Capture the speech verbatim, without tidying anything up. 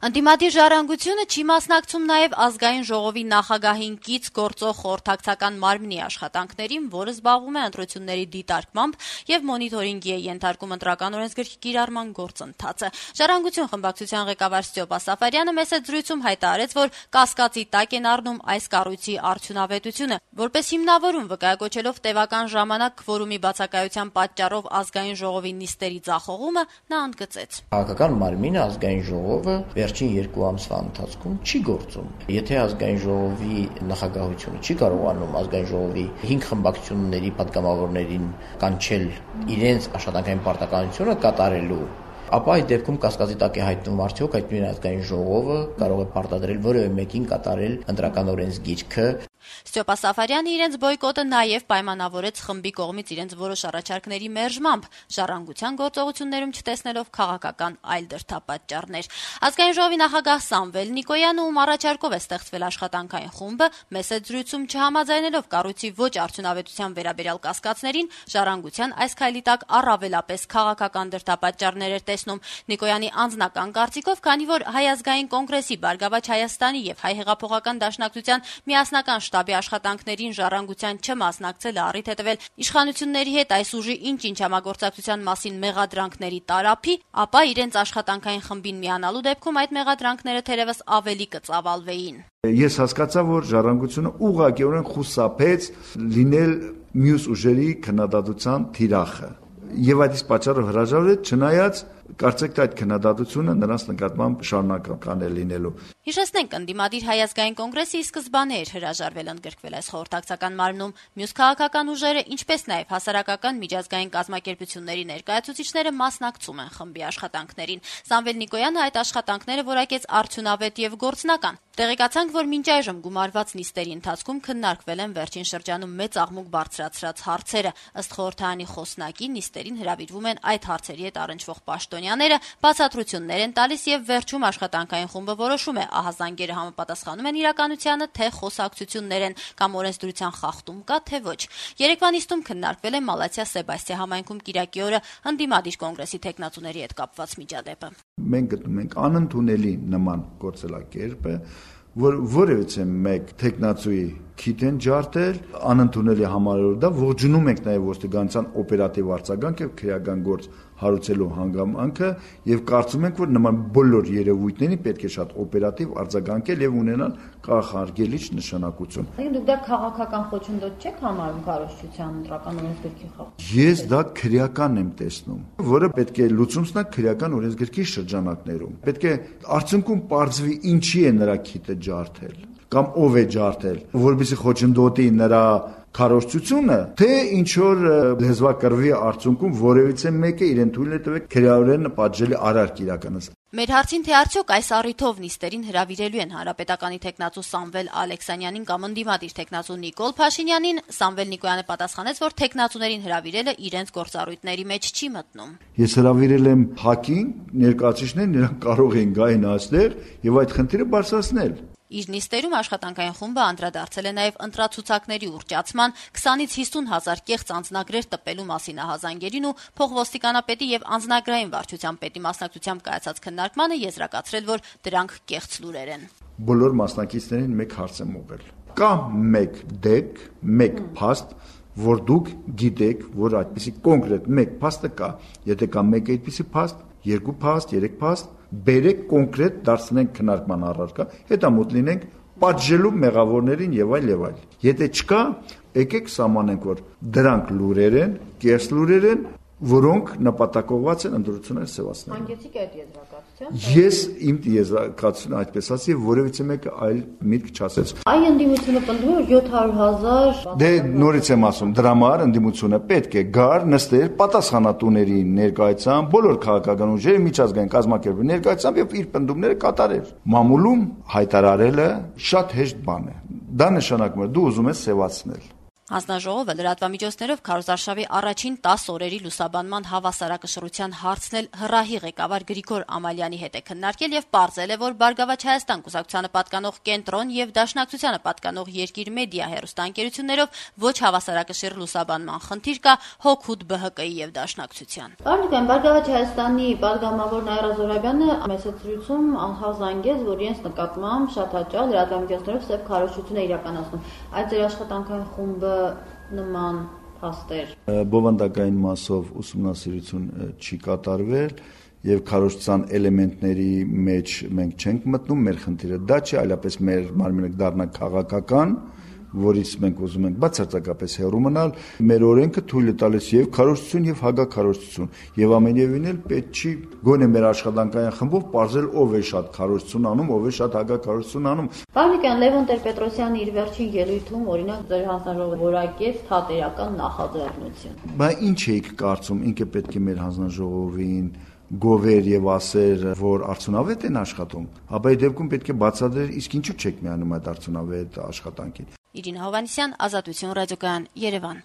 Ընդդիմադիր ժառանգությունը չի մասնակցում նաև ազգային ժողովի նախագահին կից գործող խորհրդակցական մարմնի աշխատանքներին, որը զբաղվում է ընտրությունների դիտարկմամբ եւ մոնիթորինգի է ենթարկում ընտրական օրենսգրքի կիրառման գործընթացը։ Ժառանգություն խմբակցության ղեկավար Ստյոպա Սաֆարյանը մեծ զրույցում հայտարարեց, որ կասկածի տակ են առնում այս կառույցի արդյունավետությունը, որպես հիմնավորում վկայակոչելով տևական ժամանակ քվորումի բացակայության պատճառով ազգային ժողովի նիստերի ձախողումը, նա ընդգծեց. Քաղաքական մարմինը ազգային ժողովը վերջին երկու ամսվա ընթացքում չի գործում։ Եթե ազգային ժողովի նախագահությունը չի կարողանում ազգային ժողովի հինգ խմբակցությունների պատգամավորներին կանչել իրենց աշխատանքային պարտականությունը կատարելու, ապա այդ դեպքում կասկածի տակ է հայտնվում արդյոք այդ նույն ազգային ժողովը կարող է պարտադրել որևէ մեկին կատարել ընտրական օրենսգիրքը։ Ստյոպա Սաֆարյանը իրենց բոյկոտը նաև պայմանավորեց խմբի կողմից իրենց որոշ առաջարկների մերժմամբ, ժառանգության գործողություններում չտեսնելով քաղաքական այլ դրդապատճառներ։ Ազգային ժողովի նախագահ Սամվել Նիկոյանը, ում առաջարկով է ստեղծվել աշխատանքային խումբը, մեծ զրույցում չհամաձայնելով կառույցի ոչ արդյունավետության վերաբերյալ կասկածներին, ժառանգության այս քայլի տակ առավելապես քաղաքական դրդապատճառներ էր տեսնում։ Նիկոյանի անձնական կարծիքով, քանի որ Հայ ազգային կոնգրեսի, Բարգավաճ Հայաստանի եւ Հայ հեղափոխական դաշնակցության միասնական շտաբի աշխատանքներին ժառանգության չմասնակցելը առիթ է տվել իշխանությունների հետ այս ուժի ինչ-ինչ համագործակցության մասին մեղադրանքների տարափի, ապա իրենց աշխատանքային խմբին միանալու դեպքում այդ մեղադրանքները թերևս ավելի կծավալվեին։ Ես հասկացա, որ ժառանգությունը ուղղակիորեն խուսափեց լինել մյուս ուժերի քննադատության թիրախը։ Եվ այդ իսկ պատճառով հրաժարվեց, չնայած կարծեք թե այդ քննադատությունը նրանց նկատմամբ շարունակական է լինելու։ Հիշեցնենք, ընդդիմադիր Հայ ազգային կոնգրեսի սկզբանե էր հրաժարվել ընդգրկվել այս խորհրդակցական մարմնում։ Մյուս քաղաքական ուժերը, ինչպես նաև հասարակական միջազգային կազմակերպությունների ներկայացուցիչները մասնակցում են խմբի աշխատանքներին։ Սամվել Նիկոյանը այդ աշխատանքները որակեց արդյունավետ եւ գործնական։ Տեղեկացանք, որ մինչ այժմ գումարված նիստերի ընթացքում քննարկվել են վերջին շրջանում մեծ աղմուկ բարձրացրած հարցերը։ Ըստ խորհրդարանի խոսնակի, նիստերին հրավիրվում են այդ հարցերի հետ առնչվող պաշտոնյաները, բացատրություններ են տալիս եւ վերջում աշխատանքային խումբը որոշում է ահազանգերը համապատասխանում են իրականությանը, թե խոսակցություններ են կամ օրենսդրության խախտում կա, թե ոչ։ Երեկվա նիստում քննարկվել է Մալաթիա Սեբաստիա համայնքում կիրակի օրը ընդդիմադիր կոնգրեսի թեկնածուների հետ կապված միջադեպը։ Մենք գտնում ենք անընդունելի նման գործելակերպը, որ որևիցե մեկ թեկնածուի քիթ են ջարդել, անընդունելի համարելով դա, ողջունում ենք նաև ոստիկանության օպերատիվ արձագանք եւ քրեական գործ հարուցելու հանգամանքը եւ կարծում ենք, որ նման բոլոր երևույթներին պետք է շատ օպերատիվ արձագանքել եւ ունենալ կանխարգելիչ նշանակություն։ Դուք դա քաղաքական խոչընդոտ չեք համարում կառավարության ընտրական օրենսգրքի խախտում։ Ես դա քրեական եմ տեսնում, որը պետք է լուծում ստանա քրեական օրենսգրքի շրջանակներում։ Պետք է արդյունքում պարզվի ինչի է նրա քիթը ջարդել կամ ով է ջարդել, որովհետեւ խոչընդոտի նրա քարոզությունը, թե ինչ որ լեզվակռվի արդյունքում որևիցե մեկը իրեն թույլ է տվել քրեորեն պատժելի արարք իրականացնել։ Մեր հարցին, թե արդյոք այս առիթով նիստերին հրավիրելու են հանրապետականի թեկնածու Սամվել Ալեքսանյանին կամ ընդդիմադիր թեկնածու Նիկոլ Փաշինյանին, Սամվել Նիկոյանը պատասխանեց, որ թեկնածուներին հրավիրելը իրենց գործառույթների մեջ չի մտնում։ Ես հրավիրել եմ ՀԱԿ-ին, ներկայացուցիչներին, նրանք կարող են գային այստեղ եւ այդ խնդիրը բարձրացնել։ Իր նիստերում աշխատանքային խումբը անդրադարձել է նաև ընտրացուցակների ուռճացման, քսանից հիսուն հազար կեղծ անձնագրեր տպելու մասին ահազանգերին ու փոխոստիկանապետի եւ անձնագրային վարչության պետի մասնակցությամբ կայացած քննարկմանը եզրակացրել, որ դրանք կեղծ լուրեր են։ Բոլոր մասնակիցներին մեկ հարց եմ ուղղել։ Կա մեկ դեպք, մեկ փաստ, որ դուք գիտեք, որ այդպիսի կոնկրետ մեկ փաստը կա։ Եթե կա մեկ այդպիսի փաստ, երկու փաստ, երեք փաստ, բերեք կոնկրետ դարձնենք քննարկման առարկա, հետամուտ լինենք պատժելու մեղավորներին եւ այլ եւ այլ։ Եթե չկա, եկեք սահմանենք, որ դրանք լուրեր են, կեղծ լուրեր են, որոնք նպատակողված են ընտրությունները սևացնել։ Հանգեցիք այդ եզրակացության։ Ես իմ եզրակացությունը այդպես ասի, որևիցե մեկը այլ միտք չասեց։ Այ ընդդիմությունը պնդում է, որ յոթ հարյուր հազար Դե նորից եմ ասում, դրա համար ընդդիմությունը պետք է գար, նստեր, պատասխանատուների ներկայացան, բոլոր քաղաքական ուժերի միջազգային կազմակերպությունների ներկայացան եւ իր պնդումները կատարեր։ Մամուլում հայտարարելը շատ հեշտ բան է։ Դա նշանակում է դու ուզում ես սևացնել։ Հանձնաժողովը լրատվամիջոցներով քարոզարշավի առաջին տասը օրերի լուսաբանման հավասարակշռության հարցն էլ հռահի ղեկավար Գրիգոր Ամալյանի հետ է քննարկել եւ պարզել է, որ Բարգավաճ Հայաստան կուսակցությանը պատկանող Կենտրոն եւ Դաշնակցությանը պատկանող Երկիր մեդիա հեռուստաընկերություններով ոչ հավասարակշիռ լուսաբանման խնդիր կա հօգուտ Բ Հ Կ-ի եւ Դաշնակցության։ Պարոն Բարգավաճ Հայաստանի պատգամավոր Նաիրա Զոհրաբյանը մեսեցրույցում անհավզանգեց, որ իրենց նկատմամբ շատ հաճախ լրատվամիջոցներով սև քարոզչություն է իրականացնում։ Այդ ձեր աշխատանքային խումբը նման փաստեր բովանդակային մասով ուսումնասիրություն չի կատարվել եւ քարոզչության էլեմենտների մեջ մենք չենք մտնում, մեր խնդիրը դա չի, այլապես մեր մարմինը դառնա քաղաքական, որից մենք ուզում ենք բացարձակապես հեռու մնալ, մեր օրենքը թույլ է տալիս եւ քարոզչություն եւ հագաքարոզչություն եւ ամենևին էլ պետք չի գոնե մեր աշխատանքային խմբով ողջել ով է շատ քարոզչություն անում, ով է շատ հագաքարոզչություն անում։ Պարոն Լևոն Տեր-Պետրոսյանը իր վերջին ելույթում օրինակ ձեր հանձնաժողովը որակեց թատերական նախաձեռնություն։ Բայց ինչ էիք կարծում, ինքը պետք է մեր հանձնաժողովին գովեր եւ ասեր, որ արդյունավետ են աշխատում, ապա այդ դեպքում պետք է բացատրել, իսկ ինչու չեք միանում այդ արդյունավետ աշխատանքին։ Իրինա Հովհաննիսյան, Ազատություն ռադիոկայան, Երևան։